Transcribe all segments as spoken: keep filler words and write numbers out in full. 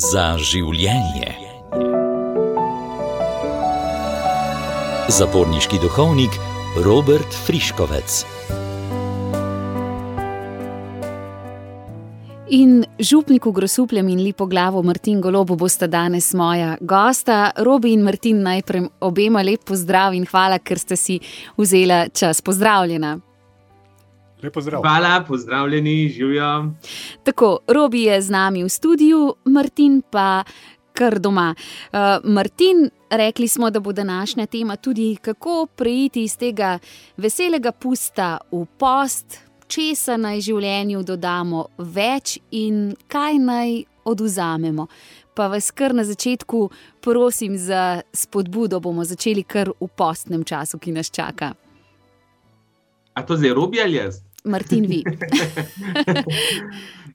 Za življenje. Zaporniški duhovnik Robert Friškovec. In župniku Grosupljem in Lipoglavo Martin Golobu bosta danes moja gosta. Robi in Martin, najprej obema lep pozdrav in hvala, ker ste si vzela čas. Pozdravljena. Lep pozdrav. Hvala, pozdravljeni, živijo. Tako, Robi je z nami v studiu, Martin pa kar doma. Uh, Martin, rekli smo, da bo današnja tema tudi, kako preiti iz tega veselega pusta v post, česa naj življenju dodamo več in kaj naj odvzamemo. Pa vas kar na začetku prosim za spodbudo, bomo začeli kar v postnem času, ki nas čaka. A to zdaj Robi ali jaz? Martin, vi.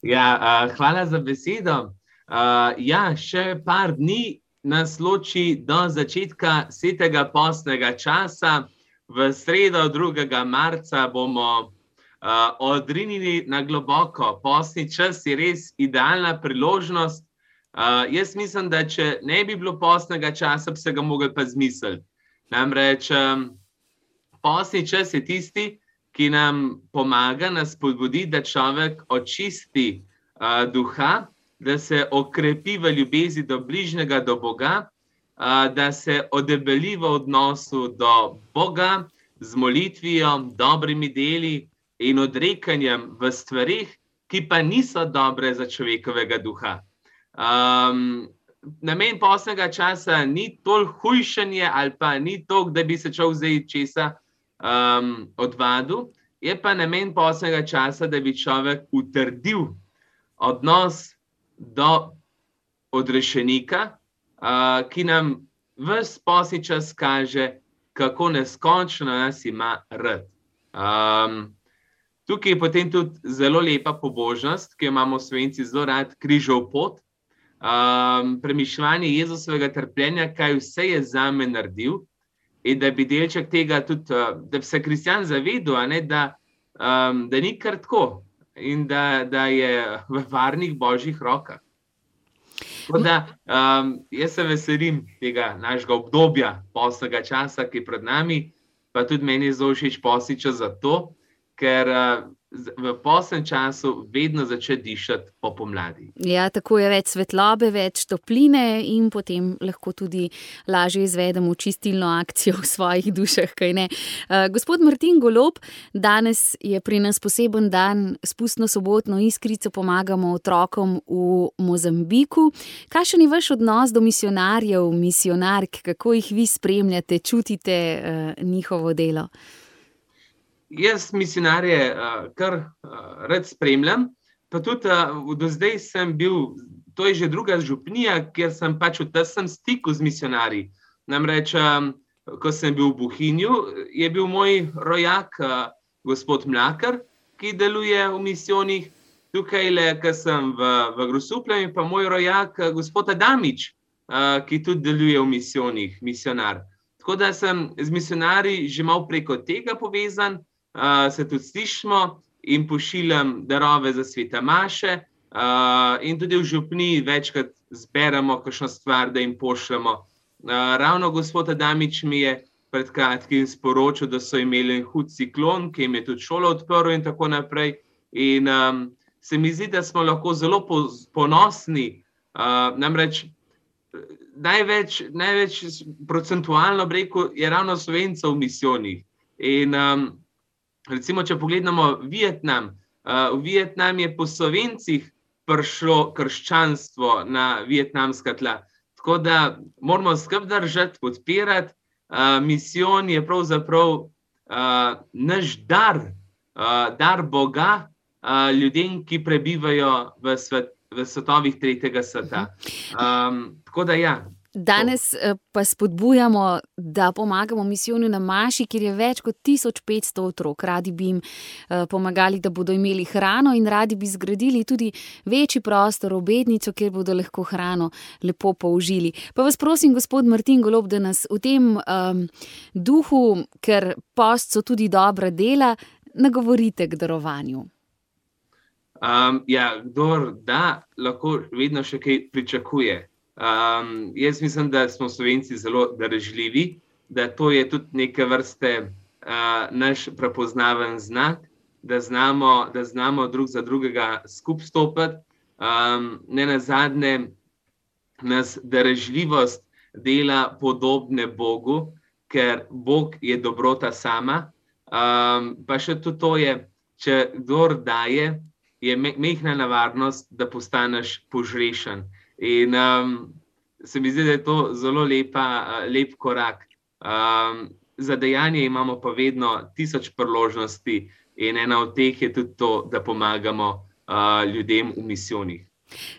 ja, uh, hvala za besedo. Uh, ja, še par dni nas loči do začetka svetega postnega časa. V sredo drugega marca bomo Uh, odrinili na globoko. Postni čas je res idealna priložnost. Uh, jaz mislim, da če ne bi bilo postnega časa, bi se ga mogli pa zmisliti. Namreč um, postni čas je tisti, ki nam pomaga, nas spodbudi, da človek očisti uh, duha, da se okrepi v ljubezni do bližnjega, do Boga, uh, da se odebeli v odnosu do Boga z molitvijo, dobrimi deli in odrekanjem v stvarih, ki pa niso dobre za človekovega duha. Um, namen postnega časa ni toliko hujšanje ali pa ni toliko, da bi se človek zdaj česa um, odvadil, je pa namen postnega časa, da bi človek utrdil odnos do odrešenika, uh, ki nam ves postni čas kaže, kako neskončno nas ima rad. Um, Tukaj je potem tudi zelo lepa pobožnost, ki jo imamo Slovenci zelo rad, križov pot. Um, premišljanje Jezusovega trpljenja, kaj vse je zame naredil, in da bi delček tega tudi, da bi se kristjan zavedel, a ne, da, um, da ni kar tako in da, da je v varnih božjih rokah. Tako da, um, jaz se veselim tega našega obdobja postnega časa, ki je pred nami, pa tudi meni je zelo všeč postni čas za to, ker uh, v postnem času vedno začne dišati po pomladi. Ja, tako je več svetlobe, več topline in potem lahko tudi lažje izvedemo čistilno akcijo v svojih dušah, kaj ne. Uh, gospod Martin Golob, danes je pri nas poseben dan, spustno sobotno iskrico pomagamo otrokom v Mozambiku. Kakšen je vaš odnos do misionarjev, misionark, kako jih vi spremljate, čutite uh, njihovo delo? Jaz misionarje uh, kar uh, rad spremljam, pa tudi uh, do zdaj sem bil, to je že druga župnija, kjer sem pač v tesnem stiku z misionarji. Namreč, um, ko sem bil v Bohinju, je bil moj rojak uh, gospod Mlakar, ki deluje v misijonih. Tukaj le, ko sem v, v Grosupljem, pa moj rojak uh, gospod Adamič, uh, ki tudi deluje v misijonih, misionar. Tako da sem z misionarji že malo preko tega povezan. Uh, se tudi slišimo in pošiljam darove za svete maše uh, in tudi v župniji večkrat zberemo kakšno stvar, da jim pošljemo. Uh, ravno gospod Adamič mi je pred kratkim sporočil, da so imeli hud ciklon, ki jim je tudi šolo odprl in tako naprej. In um, se mi zdi, da smo lahko zelo ponosni. Uh, namreč največ, največ procentualno rekel je ravno Slovencev v misijonih. In um, recimo, če pogledamo Vietnam, uh, v Vietnam je po Slovencih prišlo krščanstvo na vietnamska tla. Tako da moramo skupaj držati, podpirati. Uh, misijon je pravzaprav uh, naš dar, uh, dar Boga uh, ljudem, ki prebivajo v, svet, v svetovih tretjega sveta. Um, tako da ja. Danes pa spodbujamo, da pomagamo misijonu na Maši, kjer je več kot tisoč petsto otrok. Radi bi jim pomagali, da bodo imeli hrano in radi bi zgradili tudi večji prostor, obednico, kjer bodo lahko hrano lepo použili. Pa vas prosim, gospod Martin Golob, da nas v tem um, duhu, ker post so tudi dobra dela, nagovorite k darovanju. Um, ja, kdor da, lahko vedno še kaj pričakuje. Um, jaz mislim, da smo Slovenci zelo darežljivi, da to je tudi neke vrste uh, naš prepoznaven znak, da znamo, da znamo drug za drugega skupaj stopiti. Um, ne nazadnje nas darežljivost dela podobne Bogu, ker Bog je dobrota sama. Um, pa še tudi to je, če kdor daje, je mehna nevarnost, da postaneš požrešen. In um, se mi zdi, da je to zelo lepa, lep korak. Um, za dejanje imamo pa vedno tisoč priložnosti in ena od teh je tudi to, da pomagamo uh, ljudem v misijonih.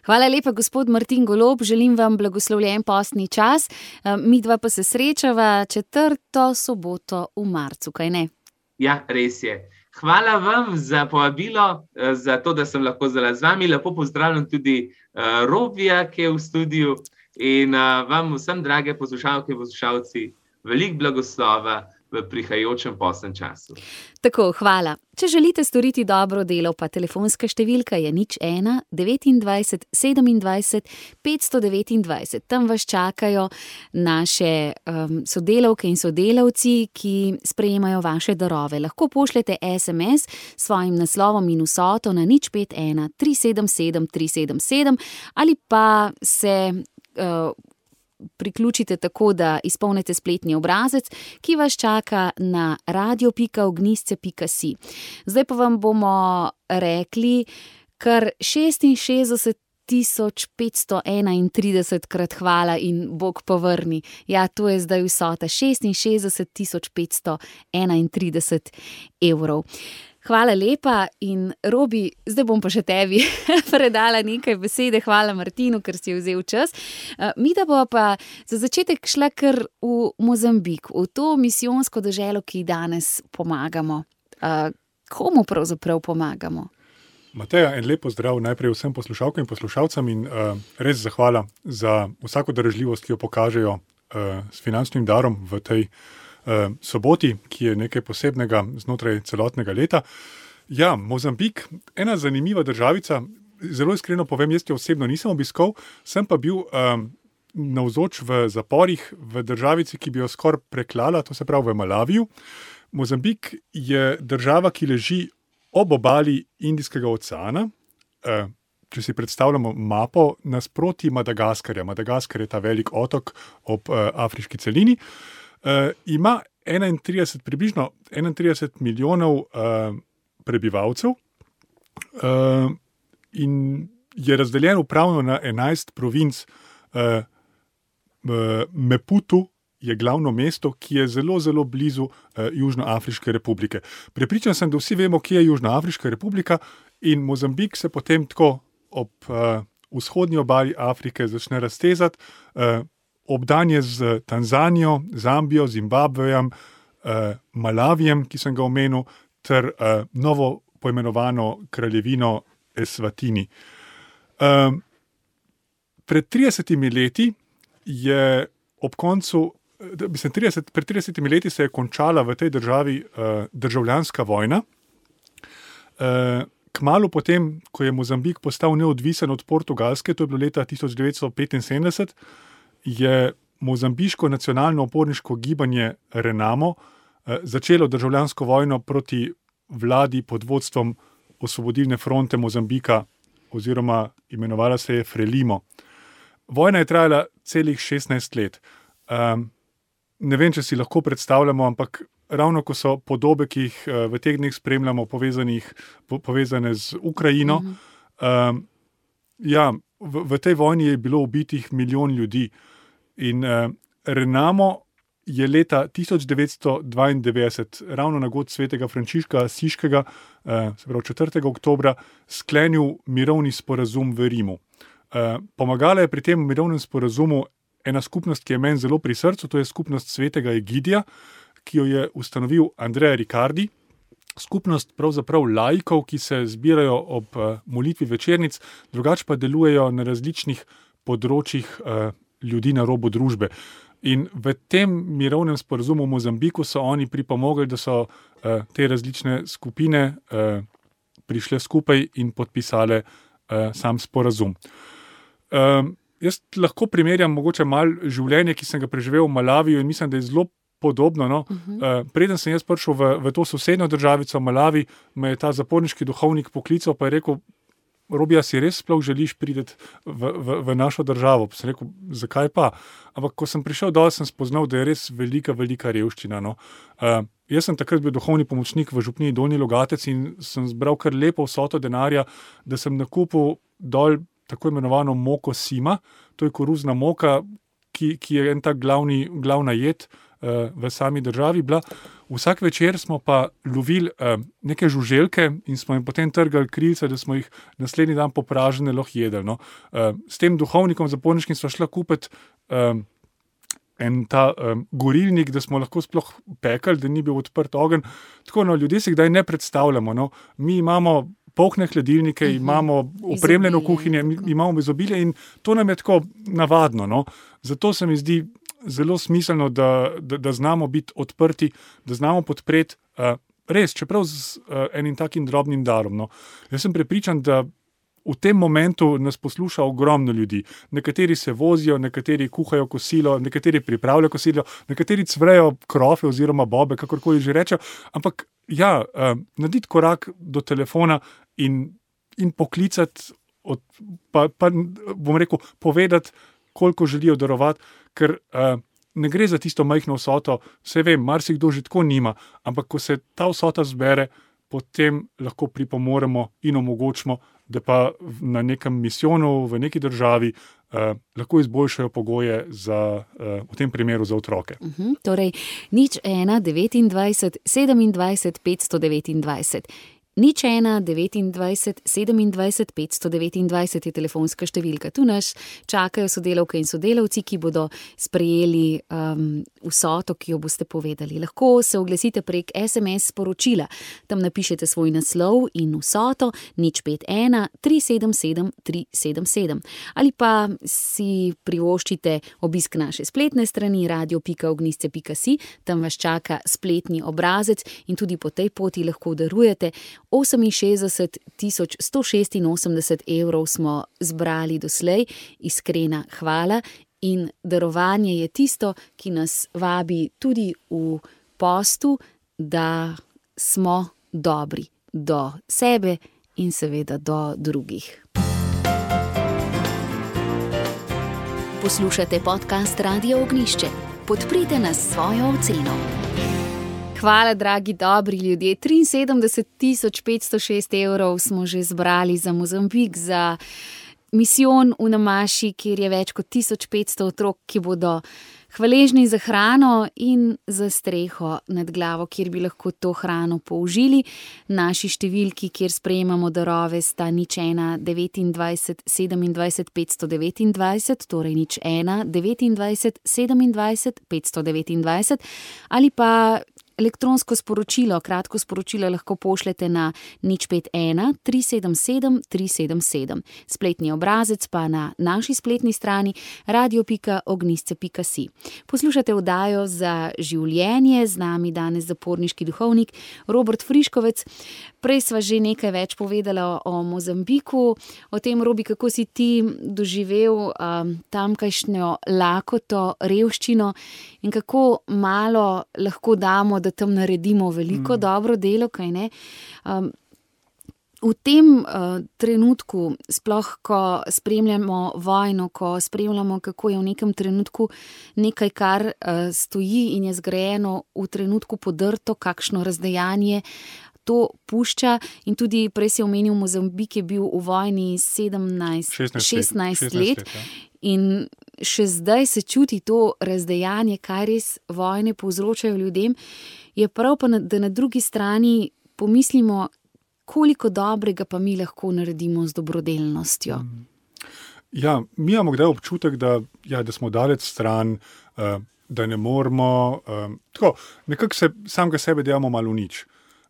Hvala lepa, gospod Martin Golob, želim vam blagoslovljen postni čas. Mi dva pa se srečava četrto soboto v marcu, kaj ne? Ja, res je. Hvala vam za povabilo, za to, da sem lahko zdaj z vami. Lepo pozdravljam tudi uh, Robija, ki je v studiu, in uh, vam vsem, drage poslušalke in poslušalci, veliko blagoslova v prihajajočem postnem času. Tako, hvala. Če želite storiti dobro delo, pa telefonska številka je nič ena devetindvajset sedemindvajset petsto devetindvajset. Tam vas čakajo naše um, sodelavke in sodelavci, ki sprejemajo vaše darove. Lahko pošljete es em es s svojim naslovom in vsoto na nič pet ena tri sedem sedem tri sedem sedem ali pa se uh, priključite tako, da izpolnite spletni obrazec, ki vas čaka na radio pika ognjišče pika si. Zdaj pa vam bomo rekli kar šestinšestdeset tisoč petsto enaintrideset krat hvala in Bog povrni. Ja, to je zdaj vsota, šestinšestdeset tisoč petsto enaintrideset evrov. Hvala lepa in Robi, zdaj bom pa še tebi predala nekaj besede. Hvala Martinu, ker si vzel čas. Mi da bo pa za začetek šla kar v Mozambik, v to misijonsko deželo, ki danes pomagamo. Komu pravzaprav pomagamo? Mateja, en lep pozdrav najprej vsem poslušalkam in poslušalcem in uh, res zahvala za vsako darežljivost, ki jo pokažejo uh, s finančnim darom v tej soboti, ki je nekaj posebnega znotraj celotnega leta. Ja, Mozambik, ena zanimiva državica, zelo iskreno povem, jaz jo osebno nisem obiskal, sem pa bil um, navzoč v zaporih v državici, ki bi jo skoraj preklala, to se pravi v Malaviju. Mozambik je država, ki leži ob obali Indijskega oceana. Uh, če si predstavljamo mapo, nasproti Madagaskarja. Madagaskar je ta velik otok ob uh, afriški celini. Uh, ima enaintrideset, približno enaintrideset milijonov uh, prebivalcev uh, in je razdeljen upravno na enajst provinc. Uh, uh, Maputo je glavno mesto, ki je zelo, zelo blizu uh, Južnoafriške republike. Prepričan sem, da vsi vemo, kje je Južnoafriška republika in Mozambik se potem tako ob uh, vzhodni obali Afrike začne raztezati, uh, obdan je z Tanzanijo, Zambijo, Zimbabvejem, eh, Malavijem, ki sem ga omenil, ter eh, novo poimenovano kraljevino Eswatini. Eh, pred tridesetimi leti je ob koncu, mislim, trideset, pred tridesetimi leti se je končala v tej državi eh, državljanska vojna. Eh, kmalu potem, ko je Mozambik postal neodvisen od Portugalske, to je bilo leta tisoč devetsto petinsedemdeset, je mozambiško nacionalno oporniško gibanje Renamo eh, začelo državljansko vojno proti vladi pod vodstvom Osvobodilne fronte Mozambika oziroma imenovala se je Frelimo. Vojna je trajala celih šestnajst let. Um, ne vem, če si lahko predstavljamo, ampak ravno ko so podobe, ki jih uh, v teh dneh spremljamo, povezanih, po, povezane z Ukrajino, mm-hmm. um, ja, v, v tej vojni je bilo ubitih milijon ljudi. In uh, Renamo je leta tisoč devetsto dvaindevetdeset, ravno na god svetega Frančiška Asiškega, uh, se pravi četrtega oktobra, sklenil mirovni sporazum v Rimu. Uh, pomagala je pri tem mirovnem sporazumu ena skupnost, ki je meni zelo pri srcu, to je skupnost svetega Egidija, ki jo je ustanovil Andrea Riccardi. Skupnost pravzaprav laikov, ki se zbirajo ob uh, molitvi večernic, drugače pa delujejo na različnih področjih uh, ljudi na robu družbe. In v tem mirovnem sporazumu v Mozambiku so oni pripomogli, da so uh, te različne skupine uh, prišle skupaj in podpisale uh, sam sporazum. Um, jaz lahko primerjam mogoče malo življenje, ki sem ga preživel v Malaviju in mislim, da je zelo podobno. No? Uh-huh. Uh, preden sem jaz prišel v, v to sosednjo državico Malavi, me je ta zaporniški duhovnik poklical pa je rekel, Robi, a si res sploh želiš priti v, v, v našo državo? Pa sem rekel, zakaj pa? Ampak ko sem prišel dol, sem spoznal, da je res velika, velika revščina. No? Uh, jaz sem takrat bil duhovni pomočnik v župniji Donji Logatec in sem zbral kar lepo vsoto denarja, da sem nakupil dol tako imenovano moko sima, to je koruzna moka, ki, ki je en tak glavni, glavna jed uh, v sami državi bila. Vsak večer smo pa lovili uh, neke žuželke in smo jim potem trgali krilce, da smo jih naslednji dan popražene lahko jedli. No. Uh, s tem duhovnikom zaporniškim sva šla kupiti um, en ta um, gorilnik, da smo lahko sploh pekali, da ni bil odprt ogenj. Tako, no, ljudje si kdaj ne predstavljamo. No. Mi imamo polkne hladilnike, uh-huh. imamo opremljeno kuhinje, imamo izobilje in to nam je tako navadno. No. Zato se mi zdi zelo smiselno, da, da, da znamo biti odprti, da znamo podpreti uh, res, čeprav z uh, enim takim drobnim darom. No. Jaz sem prepričan, da v tem momentu nas posluša ogromno ljudi. Nekateri se vozijo, nekateri kuhajo kosilo, nekateri pripravljajo kosilo, nekateri cvrejo krofe oziroma bobe, kakorkoli že rečejo, ampak ja, uh, narediti korak do telefona in, in poklicati, od, pa, pa bom rekel, povedati, koliko želijo darovati, ker uh, ne gre za tisto majhno vsoto, se vem, marsikdo že tako nima, ampak ko se ta vsota zbere, potem lahko pripomoremo in omogočimo, da pa na nekem misijonu, v neki državi uh, lahko izboljšajo pogoje za, uh, v tem primeru za otroke. Uh-huh, torej, nič ena, devetindvajset, sedemindvajset, petsto devetindvajset. Nič ena, devetindvajset, sedemindvajset, petsto devetindvajset je telefonska številka. Tu nas čakajo sodelavke in sodelavci, ki bodo sprejeli um, vsoto, ki jo boste povedali. Lahko se oglasite prek es em es sporočila. Tam napišete svoj naslov in vsoto nič pet ena, tri sedem sedem, tri sedem sedem. Ali pa si privoščite obisk naše spletne strani radio pika ognjišče pika si, tam vas čaka spletni obrazec in tudi po tej poti lahko darujete. oseminšestdeset tisoč sto šestinosemdeset evrov smo zbrali doslej, iskrena hvala in darovanje je tisto, ki nas vabi tudi v postu, da smo dobri do sebe in seveda do drugih. Poslušate podcast Radio Ognjišče. Podprite nas s svojo oceno. Hvala, dragi, dobri ljudje. triinsedemdeset tisoč petsto šest evrov smo že zbrali za Mozambik, za misijon v Namaši, kjer je več kot tisoč petsto otrok, ki bodo hvaležni za hrano in za streho nad glavo, kjer bi lahko to hrano použili. Naši številki, kjer sprejemamo darove, sta nič ena, devetindvajset, sedemindvajset, petsto devetindvajset, torej nič ena, devetindvajset, sedemindvajset, petsto devetindvajset, ali pa elektronsko sporočilo, kratko sporočilo lahko pošljete na nič pet ena, tri sedem sedem, tri sedem sedem. Spletni obrazec pa na naši spletni strani radio pika ognjišče pika si. Poslušate oddajo Za življenje, z nami danes zaporniški duhovnik Robert Friškovec. Prej sva že nekaj več povedala o Mozambiku, o tem, Robi, kako si ti doživel um, tamkajšnjo lakoto, revščino in kako malo lahko damo, da tam naredimo veliko mm. dobro delo, kaj ne? Um, v tem uh, trenutku, sploh ko spremljamo vojno, ko spremljamo, kako je v nekem trenutku nekaj, kar uh, stoji in je zgrajeno v trenutku podrto, kakšno razdejanje to pušča, in tudi prej si omenil, Mozambik je bil v vojni sedemnajst, šestnajst let, let in še zdaj se čuti to razdejanje, kaj res vojne povzročajo ljudem. Je prav pa, da na drugi strani pomislimo, koliko dobrega pa mi lahko naredimo z dobrodelnostjo. Ja, mi imamo kdaj občutek, da, ja, da smo daleč stran, uh, da ne moramo, uh, tako, nekako se samega sebe delamo malo nič.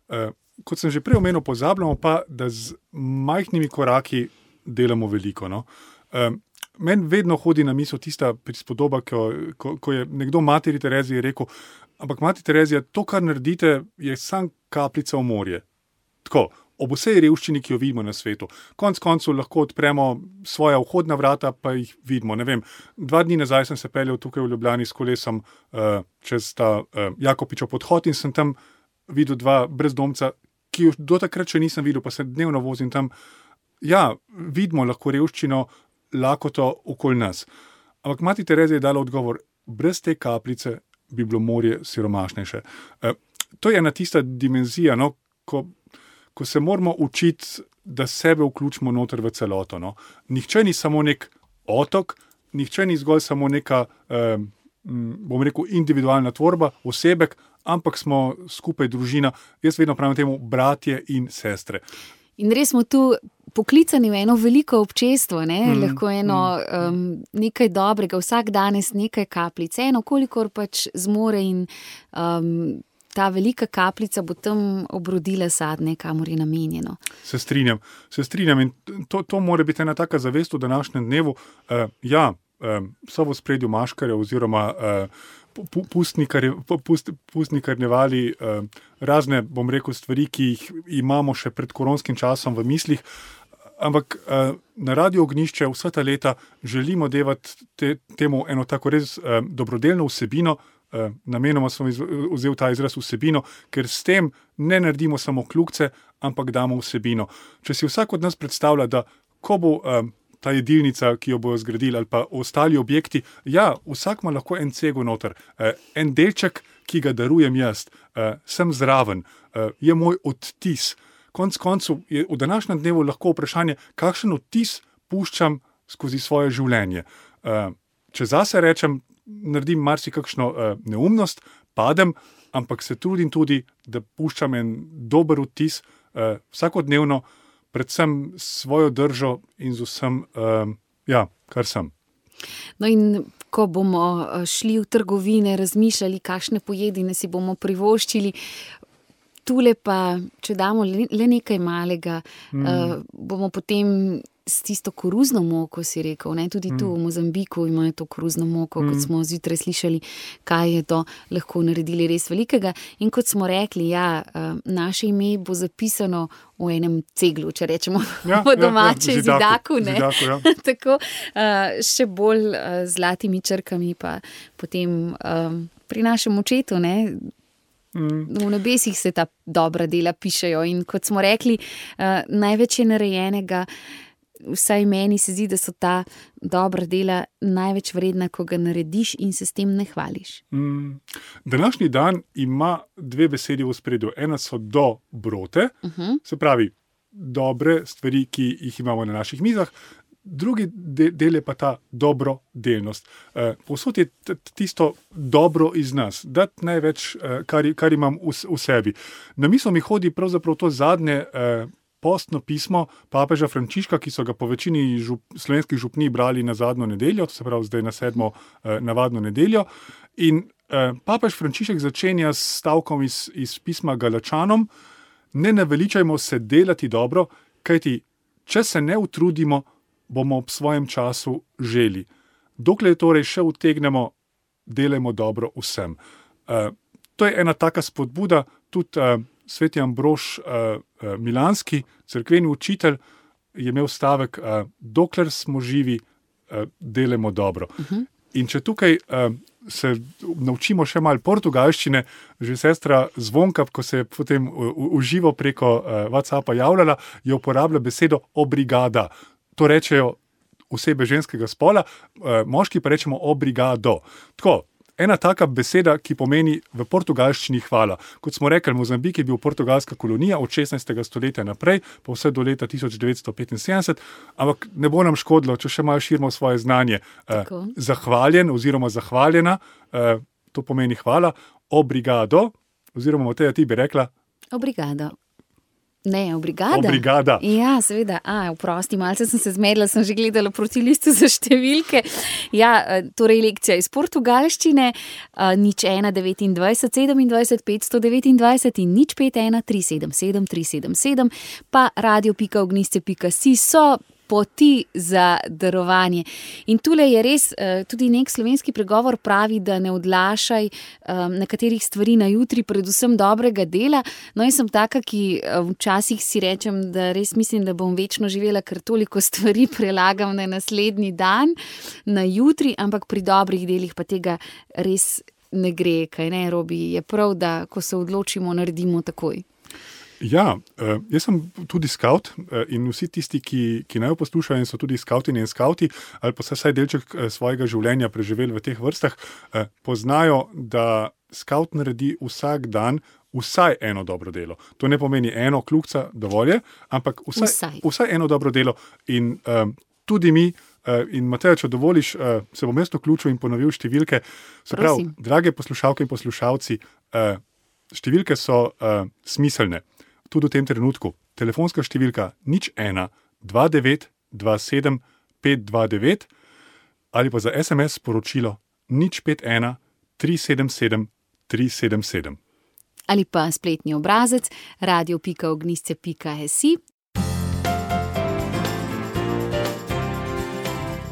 Uh, kot sem že prej omenil, pozabljamo pa, da z majhnimi koraki delamo veliko. No? Uh, meni vedno hodi na misel tista prispodoba, ko, ko, ko je nekdo materi Tereziji rekel, ampak mati Terezija, to, kar naredite, je sam kapljica v morje. Tako, ob vsej revščini, ki jo vidimo na svetu. Konec koncev lahko odpremo svoja vhodna vrata, pa jih vidimo. Ne vem, dva dni nazaj sem se peljal tukaj v Ljubljani s kolesom uh, čez ta uh, Jakopičev podhod in sem tam videl dva brezdomca, ki jo do takrat še nisem videl, pa se dnevno vozim tam. Ja, vidimo lahko revščino, lakoto okoli nas. Ampak mati Terezija je dala odgovor, brez te kapljice bi bilo morje siromašnejše. Uh, to je ena tista dimenzija, no, ko ko se moramo učiti, da sebe vključimo noter v celoto. No. Nihče ni samo nek otok, nihče ni zgolj samo neka, eh, bom rekel, individualna tvorba, osebek, ampak smo skupaj družina. Jaz vedno pravim temu bratje in sestre. In res smo tu poklicani v eno veliko občestvo, ne? Mm, lahko eno mm, um, nekaj dobrega, vsak danes nekaj kapljic, eno kolikor pač zmore in um, ta velika kapljica bo tam obrodila sadne, kamor je namenjeno. Se strinjam, se strinjam in to, to mora biti ena taka zavest v današnjem dnevu. Uh, ja, uh, so v spredju maškarje oziroma uh, pustnikarnevali uh, razne, bom rekel, stvari, ki jih imamo še pred koronskim časom v mislih, ampak uh, na Radio Ognjišče vsa ta leta želimo devati te, temu eno tako res uh, dobrodelno vsebino. Uh, namenoma sem vzel ta izraz vsebino, ker s tem ne naredimo samo kljukce, ampak damo vsebino. Če si vsak od nas predstavlja, da ko bo uh, ta jedilnica, ki jo bojo zgradili, ali pa ostali objekti, ja, vsak ima lahko en cego noter, uh, en delček, ki ga darujem jaz, uh, sem zraven, uh, je moj odtis. Konec koncev je v današnjem dnevu lahko vprašanje, kakšen odtis puščam skozi svoje življenje. Uh, če zase rečem, naredim marsikakšno uh, neumnost, padem, ampak se trudim tudi, da puščam en dober vtis uh, vsakodnevno, predvsem s svojo držo in z vsem, uh, ja, kar sem. No in ko bomo šli v trgovine, razmišljali, kakšne pojedine si bomo privoščili, tule pa, če damo le nekaj malega, mm. uh, bomo potem s tisto koruzno moko, si rekel, ne? Tudi tu v Mozambiku imajo to koruzno moko, mm. kot smo zjutraj slišali, kaj je to lahko naredili res velikega. In kot smo rekli, ja, naše ime bo zapisano v enem ceglu, če rečemo ja, po domače, ja, ja, zidaku, zidaku, ne? Zidaku, ja. Tako, še bolj zlatimi črkami pa potem pri našem očetu, ne? V nebesih se ta dobra dela pišejo in kot smo rekli, največ je narejenega, vsaj meni se zdi, da so ta dobra dela največ vredna, ko ga narediš in se s tem ne hvališ. Mm. Današnji dan ima dve besedi v spredju. Ena so dobrote, uh-huh. se pravi dobre stvari, ki jih imamo na naših mizah. Drugi del je pa ta dobrodelnost. Povsod je tisto dobro iz nas, dati največ, kar, kar imam v, v sebi. Na misel mi hodi pravzaprav to zadnje postno pismo papeža Frančiška, ki so ga po večini žup, slovenskih župnij brali na zadnjo nedeljo, to se pravi zdaj na sedmo navadno nedeljo. In papež Frančišek začenja s stavkom iz, iz pisma Galačanom: ne naveličajmo se delati dobro, kajti če se ne utrudimo, bomo ob svojem času želi. Dokler torej še utegnemo, delajmo dobro vsem. Uh, to je ena taka spodbuda, tudi uh, sveti Ambrož uh, uh, Milanski, cerkveni učitelj, je imel stavek, uh, dokler smo živi, uh, delajmo dobro. Uh-huh. In če tukaj uh, se naučimo še malo portugalščine, že sestra Zvonka, ko se je potem v živo preko uh, WhatsAppa javljala, je uporabila besedo obrigada. To rečejo osebe ženskega spola, moški pa rečemo obrigado. Tako, ena taka beseda, ki pomeni v portugalščini hvala. Kot smo rekli, Mozambik je bil portugalska kolonija od šestnajstega stoletja naprej, pa vse do leta tisoč devetsto petinsedemdeset, ampak ne bo nam škodilo, če še malo širimo svoje znanje. Tako. Zahvaljen oziroma zahvaljena, to pomeni hvala, obrigado, oziroma Mateja, ti bi rekla? Obrigado. Ne, obrigada. Obrigada. Ja, seveda. A, vprosti, malce sem se zmedla, sem že gledala proti listu za številke. Ja, torej lekcija iz portugalščine, nič ena devetindvajset sedemindvajset petsto devetindvajset in nič pet ena tri sedem sedem tri sedem sedem, pa radio pika ognjišče pika si so poti za darovanje. In tule je res, tudi nek slovenski pregovor pravi, da ne odlašaj nekaterih stvari na jutri, predvsem dobrega dela. No, jaz sem taka, ki včasih si rečem, da res mislim, da bom večno živela, ker toliko stvari prelagam na naslednji dan, na jutri, ampak pri dobrih delih pa tega res ne gre, kaj ne, Robi, je prav, da ko se odločimo, naredimo takoj. Ja, jaz sem tudi skavt in vsi tisti, ki, ki naj poslušajo in so tudi skavtini in skavti, ali pa vsaj delček svojega življenja preživeli v teh vrstah, poznajo, da skavt naredi vsak dan vsaj eno dobro delo. To ne pomeni eno kljukca, dovolj je, ampak vsaj, vsaj. vsaj eno dobro delo. In um, tudi mi, uh, in Mateja, če dovoliš, uh, se bom jaz vključil in ponovil številke. Se pravi, drage poslušalke in poslušalci, uh, številke so uh, smiselne. Tudi v tem trenutku. Telefonska številka nič ena dva devet dva sedem pet dva devet ali pa za es em es sporočilo nič pet ena tri sedem sedem tri sedem sedem. Ali pa spletni obrazec radio pika ognjišče pika si.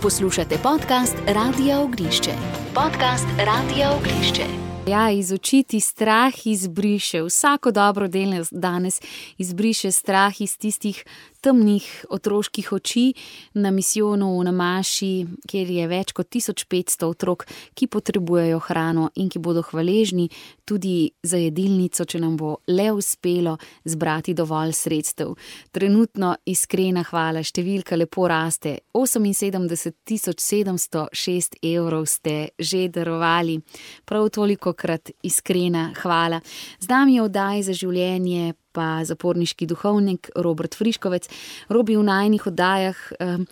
Poslušate podcast Radia Ognjišče. Podcast Radia Ognjišče. Ja, iz oči ti strah izbriše, vsako dobro delo danes izbriše strah iz tistih temnih otroških oči na misijonu v Namaši, kjer je več kot tisoč petsto otrok, ki potrebujejo hrano in ki bodo hvaležni tudi za jedilnico, če nam bo le uspelo zbrati dovolj sredstev. Trenutno iskrena hvala, številka lepo raste, oseminsedemdeset tisoč sedemsto šest evrov ste že darovali, prav toliko krat iskrena hvala. Z nami je v oddaji za življenje pa zaporniški duhovnik Robert Friškovec. Robi, v najinih oddajah um,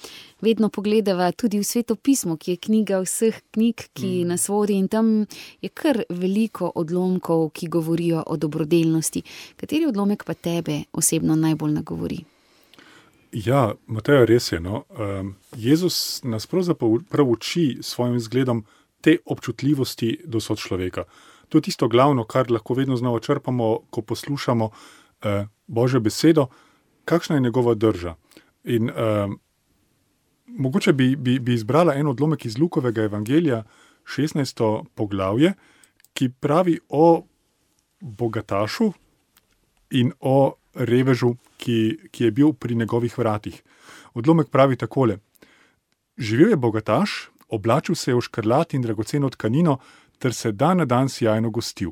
vedno pogledava tudi v Sveto pismo, ki je knjiga vseh knjig, ki mm. nas vodi, in tam je kar veliko odlomkov, ki govorijo o dobrodelnosti. Kateri odlomek pa tebe osebno najbolj nagovori? Ja, Mateja, res je. No? Um, Jezus nas pravzaprav uči s svojim zgledom te občutljivosti do sočloveka. To je tisto glavno, kar lahko vedno znova črpamo, ko poslušamo uh, Božjo besedo, kakšna je njegova drža. In uh, mogoče bi, bi, bi izbrala en odlomek iz Lukovega evangelija, šestnajsto poglavje, ki pravi o bogatašu in o revežu, ki, ki je bil pri njegovih vratih. Odlomek pravi takole: živel je bogataš, oblačil se je v škrlat in dragoceno tkanino, ter se dan na dan sijajno gostil.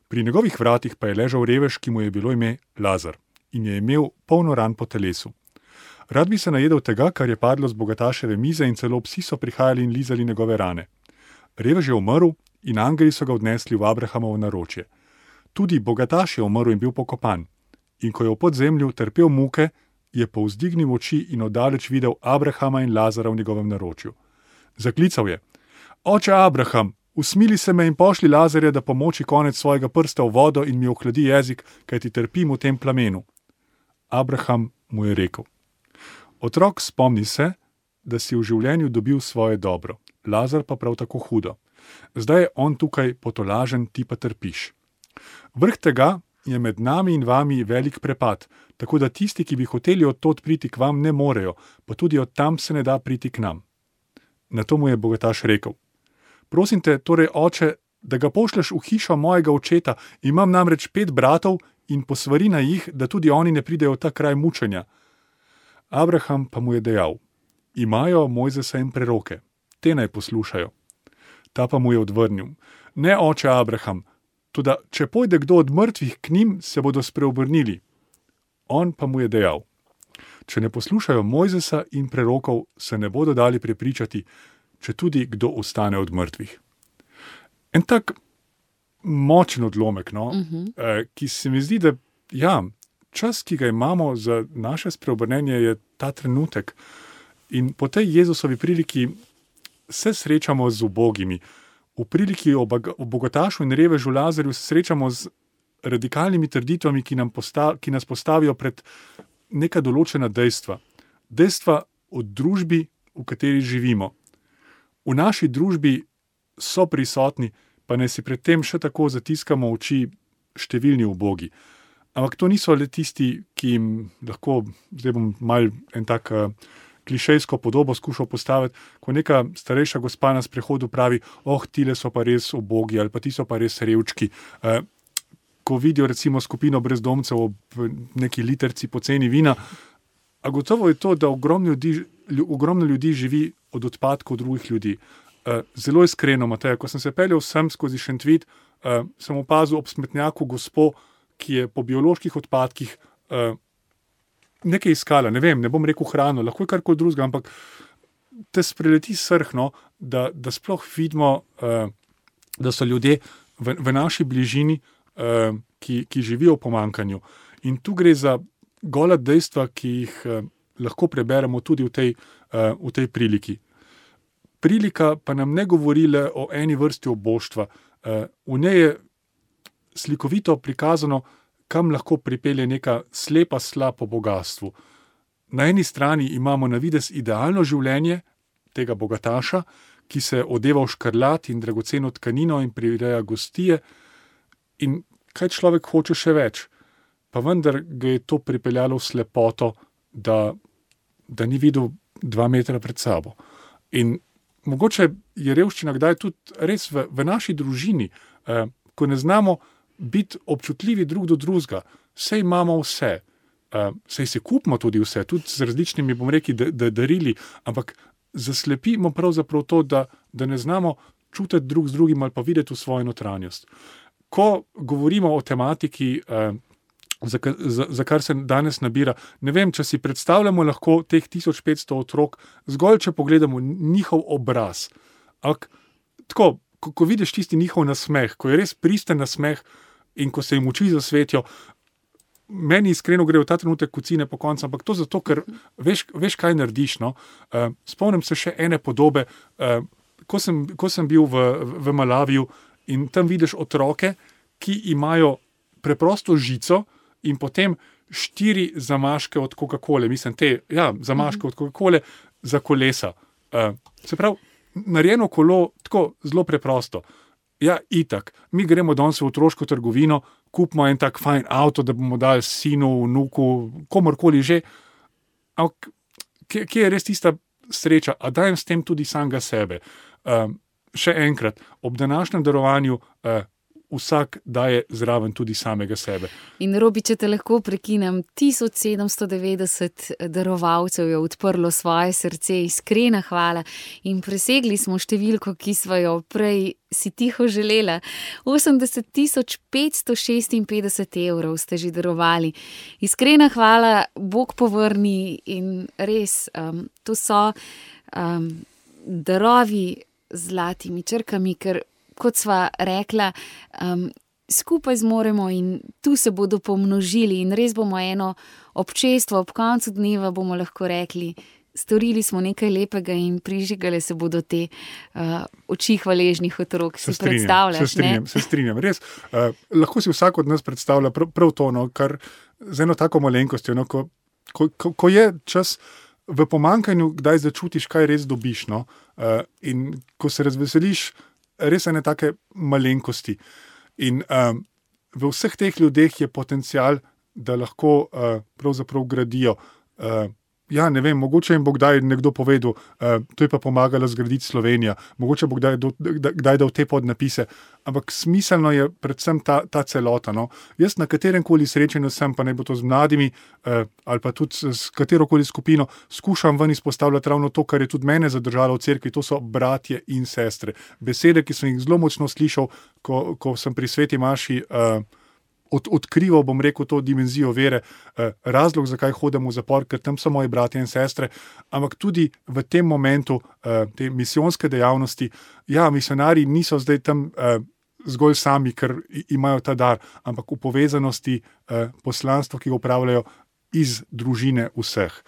Pri njegovih vratih pa je ležal revež, ki mu je bilo ime Lazar, in je imel polno ran po telesu. Rad bi se najedel tega, kar je padlo z bogataševe mize, in celo psi so prihajali in lizali njegove rane. Revež je umrl in angeli so ga odnesli v Abrahamovo naročje. Tudi bogataš je umrl in bil pokopan. In ko je v podzemlju trpel muke, je povzdignil oči in oddaleč videl Abrahama in Lazara v njegovem naročju. Zaklical je: Oče Abraham, usmili se me in pošli Lazarja, da pomoči konec svojega prsta v vodo in mi ohladi jezik, kajti trpim v tem plamenu. Abraham mu je rekel: Otrok, spomni se, da si v življenju dobil svoje dobro, Lazar pa prav tako hudo. Zdaj je on tukaj potolažen, ti pa trpiš. Vrh tega je med nami in vami velik prepad, tako da tisti, ki bi hoteli od tod priti k vam, ne morejo, pa tudi od tam se ne da priti k nam. Na to mu je bogataš rekel: Prosim te, torej, oče, da ga pošleš v hišo mojega očeta, imam namreč pet bratov, in posvari na jih, da tudi oni ne pridejo v ta kraj mučenja. Abraham pa mu je dejal: Imajo Mojzesa in preroke, te naj poslušajo. Ta pa mu je odvrnil: Ne, oče Abraham, toda če pojde kdo od mrtvih k njim, se bodo spreobrnili. On pa mu je dejal: Če ne poslušajo Mojzesa in prerokov, se ne bodo dali prepričati, če tudi kdo ostane od mrtvih. En tak močen odlomek, no, uh-huh. eh, ki se mi zdi, da ja, čas, ki ga imamo za naše spreobrnenje, je ta trenutek. In po tej Jezusovi priliki se srečamo z ubogimi. V priliki o bogatašu in revežu Lazarju se srečamo z radikalnimi trditvami, ki, nam postav, ki nas postavijo pred neka določena dejstva. Dejstva o družbi, v kateri živimo. V naši družbi so prisotni, pa ne si pred tem še tako zatiskamo oči, številni ubogi. Ampak to niso le tisti, ki jim lahko, zdaj bom mal en tak uh, klišejsko podobo skušal postaviti, ko neka starejša gospa na sprehodu pravi, oh, tile so pa res ubogi ali pa ti so pa res revčki. Uh, ko vidijo recimo skupino brezdomcev ob neki literci poceni vina, a gotovo je to, da ogromno ljudi, ogromno ljudi živi od odpadkov drugih ljudi. Uh, zelo iskreno, Mateja, ko sem se peljal sem skozi Šentvid, uh, sem opazil ob smetnjaku gospo, ki je po bioloških odpadkih uh, nekaj iskala, ne vem, ne bom rekel hrano, lahko je karkoli drugega, ampak te spreleti srhno, da, da sploh vidimo, uh, da so ljudje v, v naši bližini, uh, ki, ki živijo v pomankanju. In tu gre za gola dejstva, ki jih uh, lahko preberemo tudi v tej, uh, v tej priliki. Prilika pa nam ne govori le o eni vrsti oboštva. Uh, v njej je slikovito prikazano, kam lahko pripelje neka slepa sla po bogastvu. Na eni strani imamo na videz idealno življenje tega bogataša, ki se odeva v škrlat in dragoceno tkanino in prireja gostije. In kaj človek hoče še več? Pa vendar ga je to pripeljalo v slepoto, da, da ni videl dva metra pred sabo. In mogoče je revščina kdaj tudi res v, v naši družini, eh, ko ne znamo biti občutljivi drug do drugega. Sej imamo vse, uh, sej se kupimo tudi vse, tudi z različnimi, bom rekel, da, da darili, ampak zaslepimo pravzaprav to, da, da ne znamo čutiti drug z drugim ali pa videti v svojo notranjost. Ko govorimo o tematiki, uh, za, za, za kar se danes nabira, ne vem, če si predstavljamo lahko teh tisoč petsto otrok, zgolj če pogledamo njihov obraz. Ampak tako, ko, ko vidiš tisti njihov nasmeh, ko je res pristen nasmeh, in ko se jim oči zasvetijo, meni iskreno gre v ta trenutek kocine po koncu, ampak to zato, ker veš, veš kaj narediš. No? Uh, spomnim se še ene podobe, uh, ko, sem, ko sem bil v, v Malaviju in tam vidiš otroke, ki imajo preprosto žico in potem štiri zamaške od Coca-Cole, mislim te, ja, zamaške od Coca-Cole za kolesa. Uh, se pravi, narejeno kolo tako zelo preprosto. Ja, itak. Mi gremo danes v otroško trgovino, kupimo en tak fajn avto, da bomo dali sinu, vnuku, komorkoli že. Ampak kje, kje je res tista sreča? A dajem s tem tudi samega sebe. Um, še enkrat, ob današnjem darovanju uh, vsak daje zraven tudi samega sebe. In Robi, če te lahko prekinem, tisoč sedemsto devetdeset darovalcev je odprlo svoje srce, iskrena hvala in presegli smo številko, ki smo jo prej si tiho želela. osemdeset tisoč petsto šestinpetdeset evrov ste že darovali. Iskrena hvala, Bog povrni in res, um, to so um, darovi z zlatimi črkami, ker kot sva rekla, um, skupaj zmoremo in tu se bodo pomnožili in res bomo eno občestvo, ob koncu dneva bomo lahko rekli, storili smo nekaj lepega in prižigale se bodo te uh, oči hvaležnih otrok. Si predstavljaš, se strinjam, ne? Se strinjam, res. Uh, lahko si vsak od nas predstavlja prav, prav to, no, kar z eno tako malenkostjo, no, ko, ko, ko, ko je čas v pomankanju, kdaj začutiš, kaj res dobiš, no, uh, in ko se razveseliš, res ene take malenkosti. In um, v vseh teh ljudeh je potencial, da lahko uh, pravzaprav gradijo. Uh, ja, ne vem, mogoče jim bo kdaj nekdo povedal, uh, to je pa pomagala zgraditi Slovenija, mogoče bo kdaj, do, kdaj dal te podnapise, ampak smiselno je predvsem ta, ta celota. No. Jaz na katerem koli srečanju sem, pa ne bo to z mladimi uh, ali pa tudi s katerokoli skupino, skušam ven izpostavljati ravno to, kar je tudi mene zadržalo v cerkvi, to so bratje in sestre. Besede, ki sem jih zelo močno slišal, ko, ko sem pri Sveti maši uh, Od, odkrival, bom rekel, to dimenzijo vere, eh, razlog, zakaj hodim v zapor, ker tam so moji bratje in sestre, ampak tudi v tem momentu eh, te misijonske dejavnosti, ja, misionarji niso zdaj tam eh, zgolj sami, ker imajo ta dar, ampak v povezanosti eh, poslanstvo, ki ga upravljajo iz družine vseh.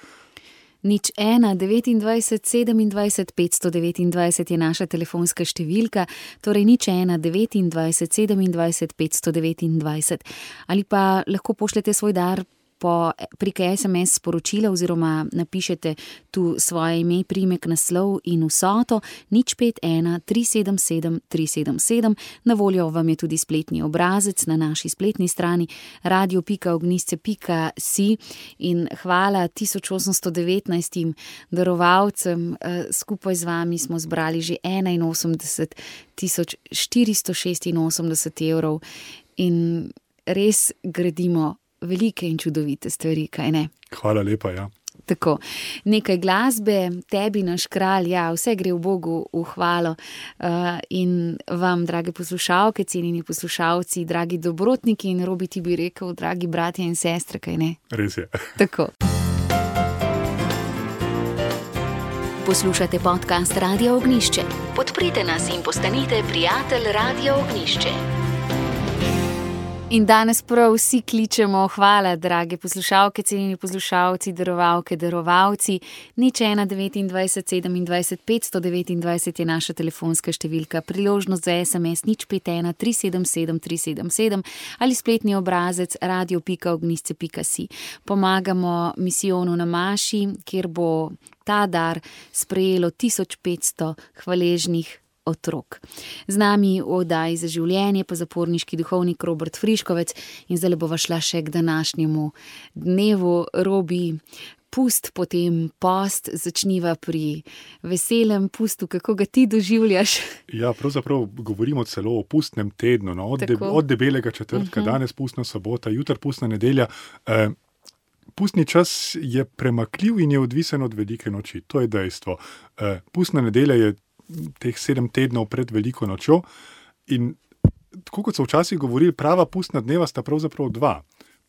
Nič ena, devetindvajset, sedemindvajset, petsto devetindvajset je naša telefonska številka, torej nič ena, devetindvajset, sedemindvajset, petsto devetindvajset. Ali pa lahko pošljete svoj dar po, prek es em es sporočila oziroma napišete tu svoje ime, priimek, naslov in vsoto nič pet ena tri sedem sedem tri sedem sedem. Na voljo vam je tudi spletni obrazec na naši spletni strani radio pika ognjišče pika si in hvala tisoč osemsto devetnajstim darovalcem. Skupaj z vami smo zbrali že enainosemdeset tisoč štiristo šestinosemdeset evrov in res gradimo velike in čudovite stvari, kaj ne? Hvala lepa, ja. Tako, nekaj glasbe, tebi naš kralj, ja, vse gre v Bogu v hvalo uh, in vam, drage poslušalke, cenjeni poslušalci, dragi dobrotniki in Robi ti bi rekel, dragi bratje in sestre, kaj ne? Res je. Tako. Poslušate podcast Radio Ognjišče. Podprite nas in postanite prijatelj Radio Ognjišče. In danes prav vsi kličemo, hvala, drage poslušalke, cenjeni poslušalci, darovalke, darovalci. nič ena devetindvajset sedemindvajset petsto devetindvajset je naša telefonska številka, priložnost za es em es nič pet ena tri sedem sedem tri sedem sedem ali spletni obrazec radio pika ognjišče pika si. Pomagamo misijonu na Maši, kjer bo ta dar sprejelo tisoč petsto hvaležnih otrok. Z nami v oddaji Za življenje pa zaporniški duhovnik Robert Friškovec in zdaj bova šla še k današnjemu dnevu. Robi, pust, potem post, začniva pri veselem pustu, kako ga ti doživljaš? Ja, pravzaprav govorimo celo o pustnem tednu, no? od, de, od debelega četrtka, uh-huh. danes pustna sobota, jutri pustna nedelja. Eh, Pustni čas je premakljiv in je odvisen od velike noči, to je dejstvo. Eh, pustna nedelja je teh sedem tednov pred veliko nočjo in tako kot so včasih govorili, prava pustna dneva sta pravzaprav dva.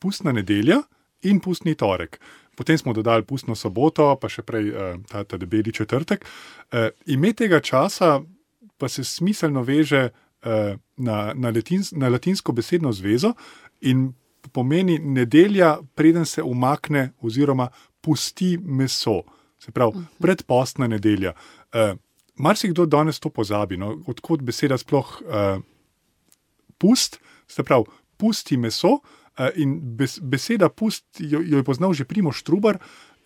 Pustna nedelja in pustni torek. Potem smo dodali pustno soboto, pa še prej ta, ta debeli četrtek. Ime tega časa pa se smiselno veže na, na, latins, na latinsko besedno zvezo in pomeni nedelja, preden se umakne oziroma pusti meso. Se pravi, predpostna nedelja. Marsikdo danes to pozabi, no? Odkot beseda sploh uh, pust, se pravi, pusti meso uh, in bes, beseda pust, jo, jo je poznal že Primož Trubar,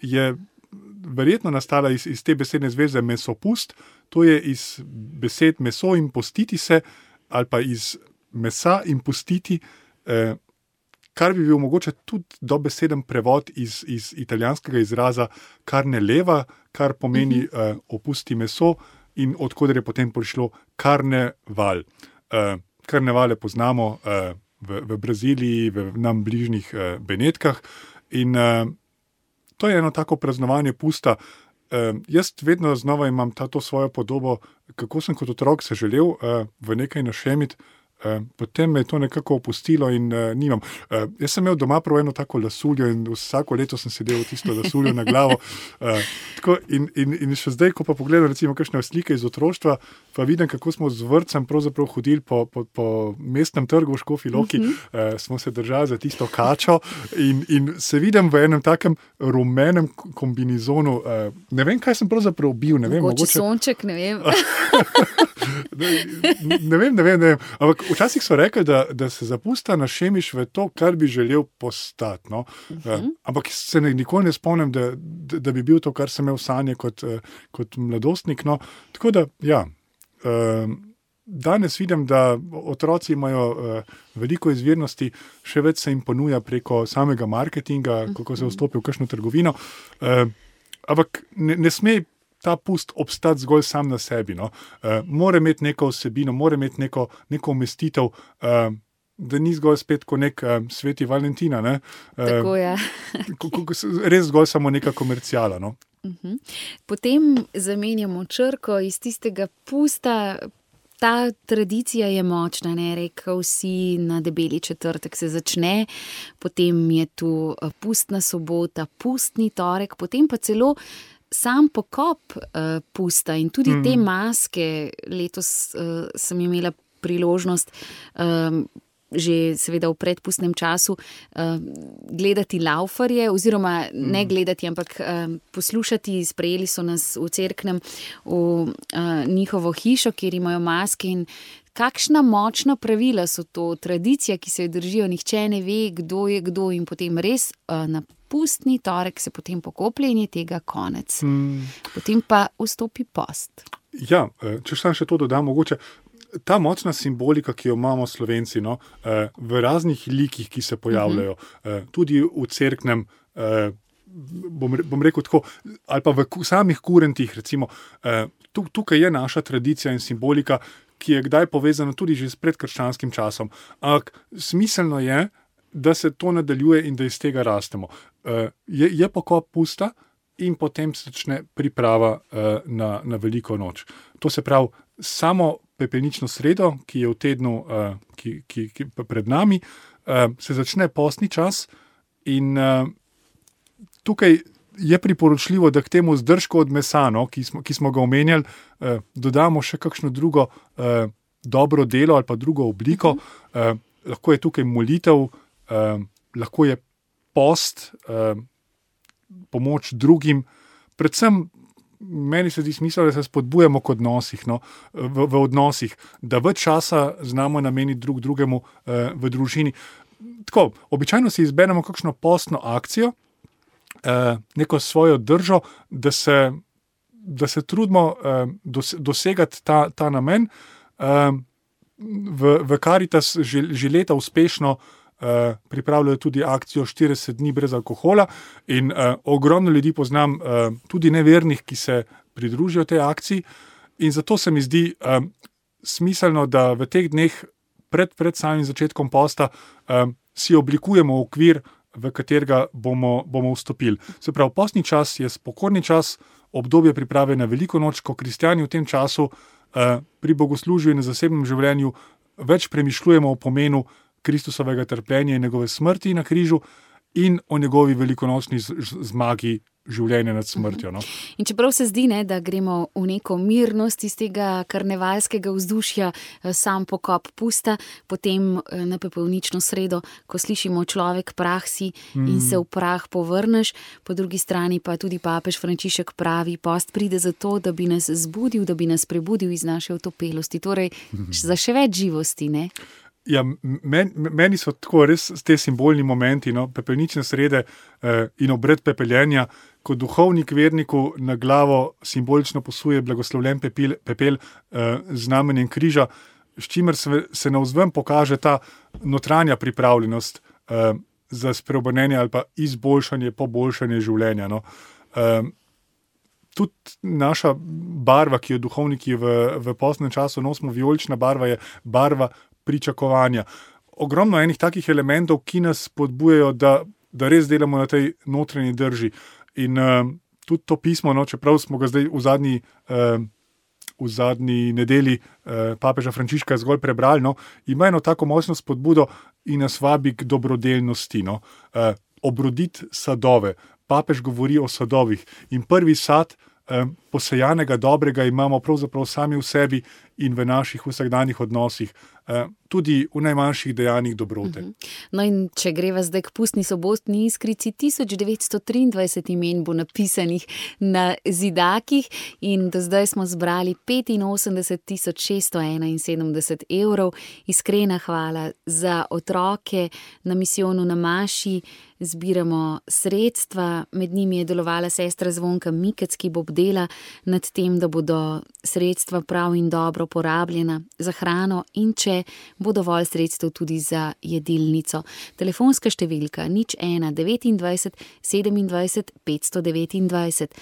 je verjetno nastala iz, iz te besedne zveze mesopust, to je iz besed meso in postiti se, ali pa iz mesa in pustiti, uh, kar bi bil mogoče tudi dobeseden prevod iz, iz italijanskega izraza carne leva, kar pomeni uh, opusti meso, in odkoder je potem prišlo karneval. Uh, karnevale poznamo uh, v, v Braziliji, v nam bližnjih uh, Benetkah in uh, to je eno tako praznovanje pusta. Uh, jaz vedno znova imam tato svojo podobo, kako sem kot otrok se želel uh, v nekaj našemiti, Uh, potem me je to nekako opustilo in uh, nimam. Uh, jaz sem imel doma prav eno tako lasuljo in vsako leto sem sedel tisto lasuljo na glavo. Uh, tako in, in, in še zdaj, ko pa pogledam recimo kakšne slike iz otroštva, pa vidim, kako smo z vrtcem pravzaprav hodili po, po, po mestnem trgu v Škofji Loki, uh-huh. uh, smo se držali za tisto kačo in, in se vidim v enem takem rumenem kombinizonu. Uh, ne vem, kaj sem pravzaprav bil. Ne vem, mogoče, mogoče sonček, ne vem. ne, ne vem, ne vem, ne vem. Ampak včasih so rekli, da, da se zapusta našemiš v to, kar bi želel postati. No? Uh-huh. Ampak se ne, nikoli ne spomnim, da, da, da bi bil to, kar sem imel sanje kot, kot mladostnik. No? Tako da, ja, danes vidim, da otroci imajo veliko izvirnosti, še več se jim ponuja preko samega marketinga, uh-huh. kako se vstopi v kakšno trgovino. Ampak ne, ne sme ta pust obstati zgolj sam na sebi. No? Uh, mora imeti neko vsebino, mora imeti neko, neko umestitev, uh, da ni zgolj spet kot nek uh, sveti Valentina. Ne? Uh, Tako je. ko, ko, res zgolj samo neka komercijala. No? Uh-huh. Potem zamenjamo črko iz tistega pusta. Ta tradicija je močna, ne, rekel si, na debeli četrtek se začne, potem je tu pustna sobota, pustni torek, potem pa celo sam pokop uh, pusta in tudi mm. te maske. Letos uh, sem imela priložnost um, že seveda v predpustnem času uh, gledati laufarje, oziroma mm. ne gledati, ampak uh, poslušati. Sprejeli so nas v Cerknem v uh, njihovo hišo, kjer imajo maske in kakšna močna pravila so to, tradicija, ki se jo držijo, nihče ne ve, kdo je kdo in potem res na pustni torek se potem pokoplje in je tega konec. Mm. Potem pa vstopi post. Ja, če sam še to dodam, mogoče ta močna simbolika, ki jo imamo Slovenci, no, v raznih likih, ki se pojavljajo, uh-huh. tudi v cerknem, bom, bom rekel tako, ali pa v samih kurentih, recimo, tukaj je naša tradicija in simbolika, ki je kdaj povezana tudi že s predkrščanskim časom. Ampak smiselno je, da se to nadaljuje in da iz tega rastemo. Je, je pokop pusta in potem se začne priprava na, na veliko noč. To se pravi, samo pepelnično sredo, ki je v tednu, ki, ki, ki pred nami, se začne postni čas in tukaj je priporočljivo, da k temu zdržku od mesa, no, ki, smo, ki smo ga omenjali, dodamo še kakšno drugo dobro delo ali pa drugo obliko. Lahko je tukaj molitev, lahko je post, pomoč drugim, predvsem meni se zdi smisel, da se spodbujamo k odnosih, no, v, v odnosih, da več časa znamo nameniti drug drugemu eh, v družini. Tako, običajno si izberemo kakšno postno akcijo, eh, neko svojo držo, da se, da se trudimo eh, dos, dosegati ta, ta namen. Eh, v, v Caritas že, že leta uspešno Uh, pripravljajo tudi akcijo štirideset dni brez alkohola in uh, ogromno ljudi poznam, uh, tudi nevernih, ki se pridružijo tej akciji in zato se mi zdi uh, smiselno, da v teh dneh pred, pred samim začetkom posta uh, si oblikujemo okvir, v katerega bomo, bomo vstopili. Se pravi, postni čas je spokojni čas, obdobje priprave na veliko noč, ko kristjani v tem času uh, pri bogoslužju in na zasebnem življenju več premišljujemo o pomenu Kristusovega trpljenja in njegove smrti na križu in o njegovi velikonočni zmagi življenja nad smrtjo. No. In čeprav se zdi, ne, da gremo v neko mirnost iz tega karnevalskega vzdušja, sam pokop pusta, potem na pepelnično sredo, ko slišimo človek prah si in mm. se v prah povrneš, po drugi strani pa tudi papež Frančišek pravi, post pride zato, da bi nas zbudil, da bi nas prebudil iz naše otopelosti, torej mm. za še več živosti, ne? Ja, men, meni so tako res te simbolni momenti, no, pepelnične srede eh, in obred pepeljenja, ko duhovnik verniku na glavo simbolično posuje blagoslovljen pepel, pepel eh, z znamenjem križa, s čimer se, se navzven pokaže ta notranja pripravljenost eh, za spreobrnenje ali pa izboljšanje, poboljšanje življenja. No. Eh, tudi naša barva, ki jo duhovniki v, v postnem času nosimo, vijolična barva je barva pričakovanja. Ogromno enih takih elementov, ki nas spodbujajo, da, da res delamo na tej notranji drži. In uh, tudi to pismo, no, čeprav smo ga zdaj v zadnji, uh, v zadnji nedeli uh, papeža Frančiška zgolj prebrali, no, ima eno tako močno spodbudo in nas vabi k dobrodelnosti. No. Uh, obroditi sadove. Papež govori o sadovih. In prvi sad uh, posejanega dobrega imamo pravzaprav sami v sebi in v naših vsakdanjih odnosih. Tudi v najmanjših dejanjih dobrote. No in če greva zdaj k pustni sobotni iskrici, tisoč devetsto triindvajset imen bo napisanih na zidakih in do zdaj smo zbrali petinosemdeset tisoč šeststo enainsedemdeset evrov. Iskrena hvala za otroke na misijonu na Maši. Zbiramo sredstva, med njimi je delovala sestra Zvonka Mikec, ki bo bdela nad tem, da bodo sredstva prav in dobro porabljena za hrano in če bo dovolj sredstev tudi za jedilnico. Telefonska številka nič ena devetindvajset sedemindvajset petsto devetindvajset,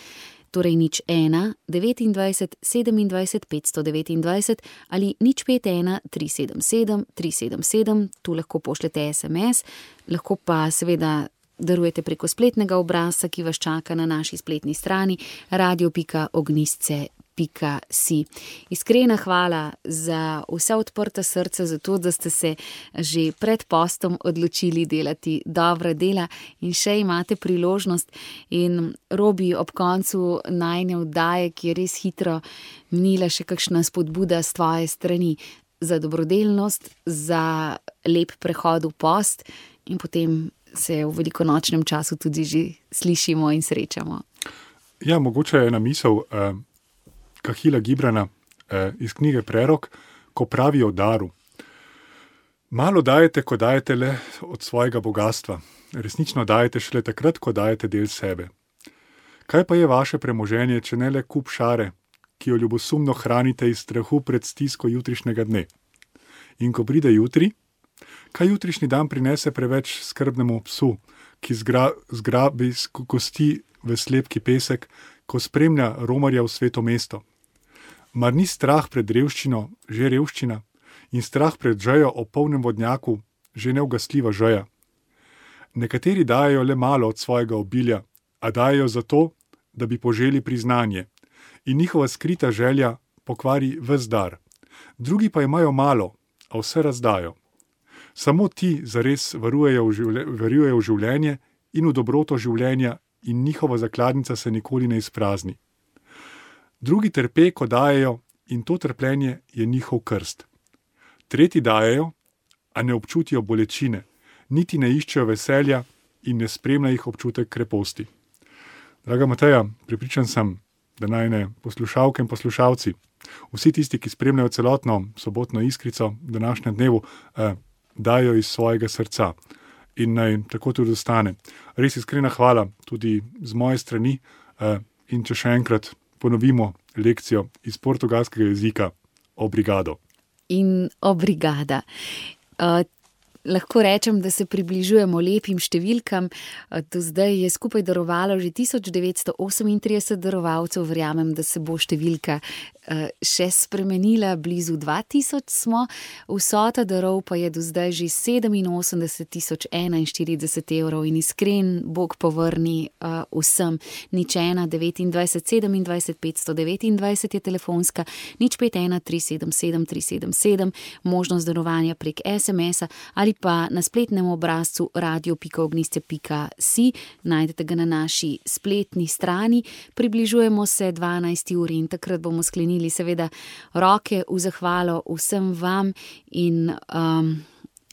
torej nič ena devetindvajset sedemindvajset petsto devetindvajset ali nič pet ena tri sedem sedem tri sedem sedem, tu lahko pošljete es em es, lahko pa seveda darujete preko spletnega obrazca, ki vas čaka na naši spletni strani radio pika ognjišče pika si. Iskrena hvala za vse odprta srca, za to, da ste se že pred postom odločili delati dobra dela in še imate priložnost. In Robi, ob koncu najine oddaje, ki je res hitro minila, še kakšna spodbuda s tvoje strani za dobrodelnost, za lep prehod v post in potem se v velikonočnem času tudi že slišimo in srečamo. Ja, mogoče je ena misel eh, Kahila Gibrana eh, iz knjige Prerok, ko pravijo o daru. Malo dajete, ko dajete le od svojega bogatstva. Resnično dajete šele takrat, ko dajete del sebe. Kaj pa je vaše premoženje, če ne le kup šare, ki jo ljubosumno hranite iz strahu pred stisko jutrišnjega dne? In ko pride jutri, kaj jutrišnji dan prinese preveč skrbnemu psu, ki zgra, zgrabi kosti v slepki pesek, ko spremlja romarja v sveto mesto? Mar ni strah pred revščino že revščina in strah pred žejo o polnem vodnjaku že neugasljiva žeja? Nekateri dajejo le malo od svojega obilja, a dajejo zato, da bi poželi priznanje, in njihova skrita želja pokvari ves dar. Drugi pa imajo malo, a vse razdajo. Samo ti zares varujejo v, življe, varujejo v življenje in v dobroto življenja in njihova zakladnica se nikoli ne izprazni. Drugi trpe, ko dajejo, in to trpljenje je njihov krst. Tretji dajejo, a ne občutijo bolečine, niti ne iščejo veselja in ne spremlja jih občutek kreposti. Draga Mateja, prepričan sem, da najne poslušalke in poslušalci, vsi tisti, ki spremljajo celotno sobotno iskrico današnjem dnevu, eh, dajo iz svojega srca in naj tako tudi ostane. Res iskrena hvala tudi z moje strani eh, in če še enkrat ponovimo lekcijo iz portugalskega jezika obrigado. In obrigada. Uh, Lahko rečem, da se približujemo lepim številkam. Do zdaj je skupaj darovalo že tisoč devetsto osemintrideset darovalcev. Verjamem, da se bo številka še spremenila, blizu dva tisoč smo. Vsota darov pa je do zdaj že sedeminosemdeset tisoč enainštirideset evrov in iskren Bog povrni uh, vsem. Nič ena devetindvajset sedemindvajset petsto devetindvajset je telefonska, nič pet ena tri sedem sedem tri sedem sedem, možnost darovanja prek es em es-a ali pa na spletnem obrazcu radio pika ognjišče pika si, najdete ga na naši spletni strani. Približujemo se dvanajsti uri in takrat bomo sklenili seveda roke v zahvalo vsem vam in um,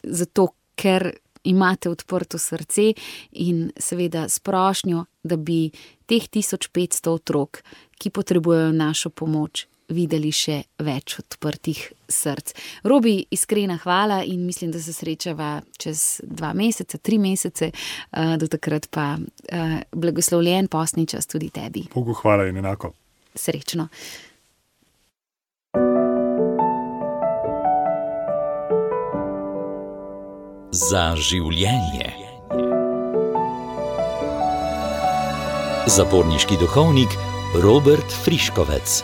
zato, ker imate odprto srce in seveda s prošnjo, da bi teh tisoč petsto otrok, ki potrebujejo našo pomoč, videli še več odprtih src. Robi, iskrena hvala in mislim, da se srečava čez dva meseca, tri mesece, do takrat pa blagoslovljen postni čas tudi tebi. Bogu hvala in enako. Srečno. Za življenje. Zaporniški duhovnik Robert Friškovec.